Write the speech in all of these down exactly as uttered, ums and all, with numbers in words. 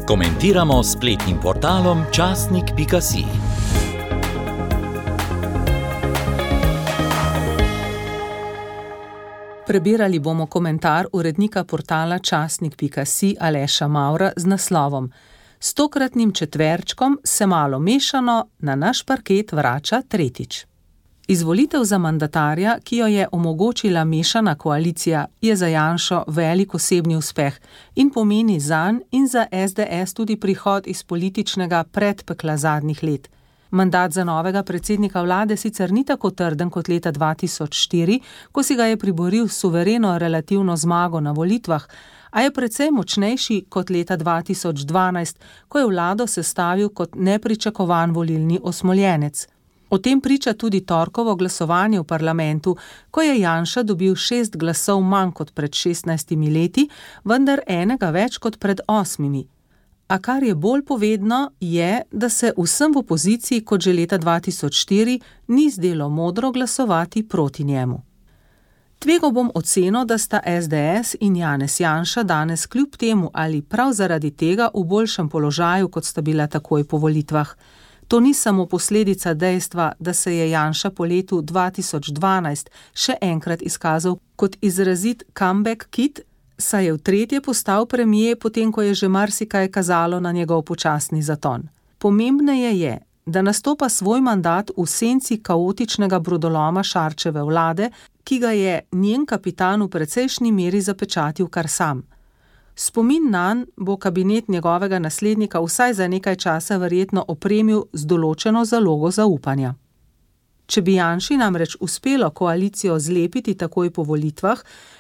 Komentiramo s spletnim portalom časnik pika si. Prebirali bomo komentar urednika portala časnik pika si Aleša Mavra z naslovom S tokratnim četverčkom se malo mešano na naš parket vrača tretjič. Izvolitev za mandatarja, ki jo je omogočila mešana koalicija, je za Janšo velik osebni uspeh in pomeni zanj in za es de es tudi prihod iz političnega predpekla zadnjih let. Mandat za novega predsednika vlade sicer ni tako trden kot leta dva tisoč štiri, ko si ga je priboril suvereno relativno zmago na volitvah, a je precej močnejši kot leta dva tisoč dvanajst, ko je vlado sestavil kot nepričakovan volilni osmoljenec. O tem priča tudi torkovo glasovanje v parlamentu, ko je Janša dobil šest glasov manj kot pred šestnajstimi leti, vendar enega več kot pred osmimi. A kar je bolj povedno, je, da se vsem v opoziciji kot že leta dva tisoč štiri ni zdelo modro glasovati proti njemu. Tvegal bom oceno, da sta es de es in Janez Janša danes kljub temu ali prav zaradi tega v boljšem položaju, kot sta bila takoj po volitvah. To ni samo posledica dejstva, da se je Janša po letu dva tisoč dvanajst še enkrat izkazal kot izrazit comeback kid, saj je v tretje postal premier, potem ko je že marsikaj kazalo na njegov počasni zaton. Pomembneje je, da nastopa svoj mandat v senci kaotičnega brodoloma Šarčeve vlade, ki ga je njen kapitan v precejšnji meri zapečatil kar sam. Spomin nanj bo kabinet njegovega naslednika vsaj za nekaj časa verjetno opremil z določeno zalogo zaupanja. Če bi Janši namreč uspelo koalicijo zlepiti takoj po volitvah,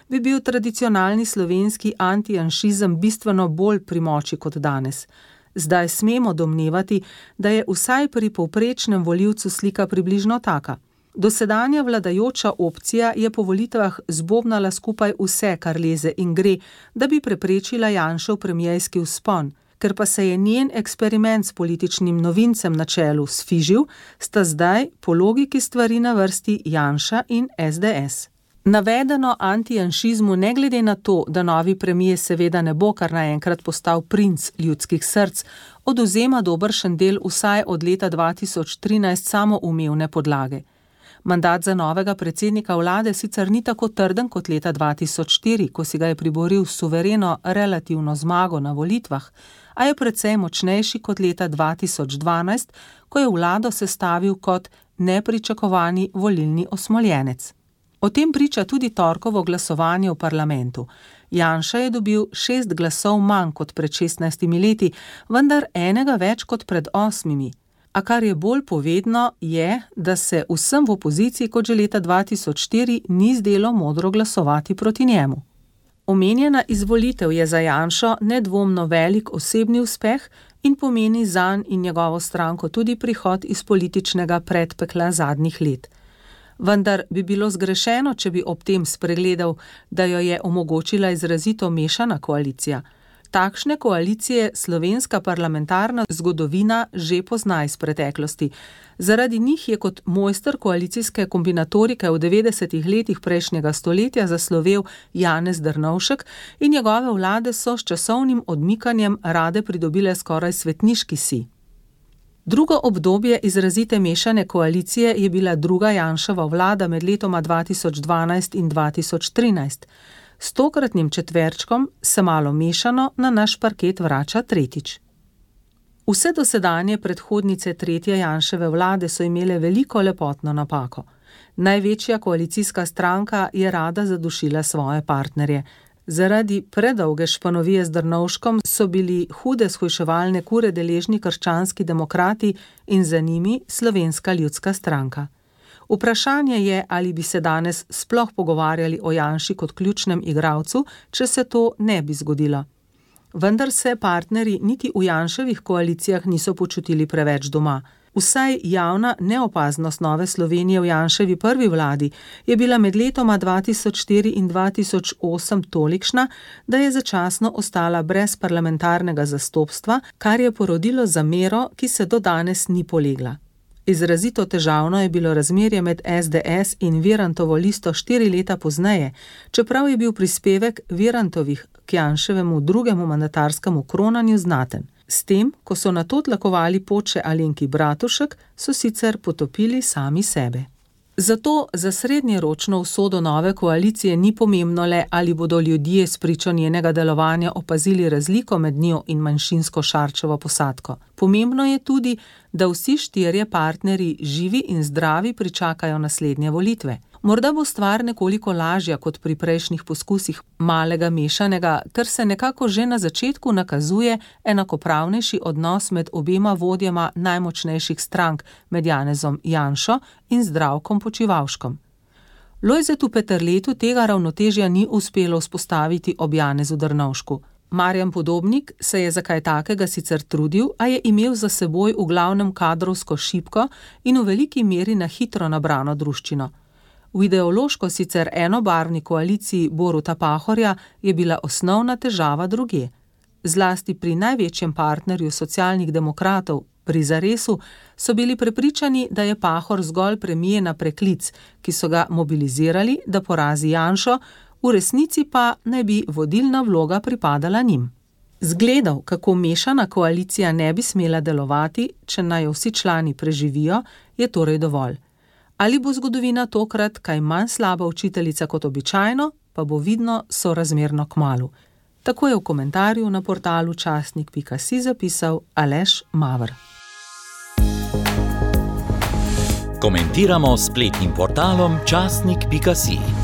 bi bil tradicionalni slovenski antijanšizem bistveno bolj pri moči kot danes. Zdaj smemo domnevati, da je vsaj pri povprečnem volivcu slika približno taka. Dosedanja vladajoča opcija je po volitvah zbobnala skupaj vse, kar leze in gre, da bi preprečila Janšev premierski vzpon. Ker pa se je njen eksperiment s političnim novincem na čelu sfižil, sta zdaj po logiki stvari na vrsti Janša in es de es. Navedeno antijanšizmu ne glede na to, da novi premier seveda ne bo kar naenkrat postal princ ljudskih src, odvzema dobršen del vsaj od leta dva tisoč trinajst samoumevne podlage. Mandat za novega predsednika vlade sicer ni tako trden kot leta dva tisoč štiri, ko si ga je priboril suvereno relativno zmago na volitvah, a je precej močnejši kot leta dva tisoč dvanajst, ko je vlado sestavil kot nepričakovani volilni osmoljenec. O tem priča tudi torkovo glasovanje v parlamentu. Janša je dobil šest glasov manj kot pred šestnajstimi leti, vendar enega več kot pred osmimi. A kar je bolj povedno, je, da se vsem v opoziciji kot že leta dva tisoč štiri ni zdelo modro glasovati proti njemu. Omenjena izvolitev je za Janšo nedvomno velik osebni uspeh in pomeni zanj in njegovo stranko tudi prihod iz političnega predpekla zadnjih let. Vendar bi bilo zgrešeno, če bi ob tem spregledal, da jo je omogočila izrazito mešana koalicija. Takšne koalicije slovenska parlamentarna zgodovina že pozna iz preteklosti. Zaradi njih je kot mojster koalicijske kombinatorike v devetdesetih letih prejšnjega stoletja zaslovel Janez Drnovšek in njegove vlade so s časovnim odmikanjem rade pridobile skoraj svetniški sij. Drugo obdobje izrazite mešane koalicije je bila druga Janševa vlada med letoma dva tisoč dvanajst in dva tisoč trinajst. S tokratnim četverčkom se malo mešano na naš parket vrača tretjič. Vse dosedanje predhodnice tretje Janševe vlade so imele veliko lepotno napako. Največja koalicijska stranka je rada zadušila svoje partnerje. Zaradi predolge španovije z Drnovškom so bili hude shujševalne kure deležni krščanski demokrati in za njimi Slovenska ljudska stranka. Vprašanje je, ali bi se danes sploh pogovarjali o Janši kot ključnem igralcu, če se to ne bi zgodilo. Vendar se partnerji niti v Janševih koalicijah niso počutili preveč doma. Vsaj javna neopaznost Nove Slovenije v Janševi prvi vladi je bila med letoma dva tisoč štiri in dva tisoč osem tolikšna, da je začasno ostala brez parlamentarnega zastopstva, kar je porodilo zamero, ki se do danes ni polegla. Izrazito težavno je bilo razmerje med es de es in Virantovo listo štiri leta pozneje, čeprav je bil prispevek Virantovih k Janševemu drugemu mandatarskemu kronanju znaten. S tem, ko so nato tlakovali pot še Alenki Bratušek, so sicer potopili sami sebe. Zato za srednjeročno usodo nove koalicije ni pomembno le, ali bodo ljudje s pričo njenega delovanja opazili razliko med njo in manjšinsko Šarčevo posadko. Pomembno je tudi, da vsi štirje partnerji živi in zdravi pričakajo naslednje volitve. Morda bo stvar nekoliko lažja kot pri prejšnjih poskusih malega mešanega, ker se nekako že na začetku nakazuje enakopravnejši odnos med obema vodjema najmočnejših strank, med Janezom Janšo in Zdravkom Počivalškom. Lojzetu Peterletu tega ravnotežja ni uspelo vzpostaviti ob Janezu Drnovšku. Marjan Podobnik se je za kaj takega sicer trudil, a je imel za seboj v glavnem kadrovsko šibko in v veliki meri na hitro nabrano druščino. V ideološko sicer enobarvni koaliciji Boruta Pahorja je bila osnovna težava drugje. Zlasti pri največjem partnerju socialnih demokratov, pri Zaresu, so bili prepričani, da je Pahor zgolj premijer na preklic, ki so ga mobilizirali, da porazi Janšo, v resnici pa naj bi vodilna vloga pripadala njim. Zgledov, kako mešana koalicija ne bi smela delovati, če naj jo vsi člani preživijo, je torej dovolj. Ali bo zgodovina tokrat kaj manj slaba učiteljica kot običajno, pa bo vidno sorazmerno kmalu. Tako je v komentarju na portalu časnik pika si zapisal Aleš Maver. Komentiramo s spletnim portalom časnik pika si.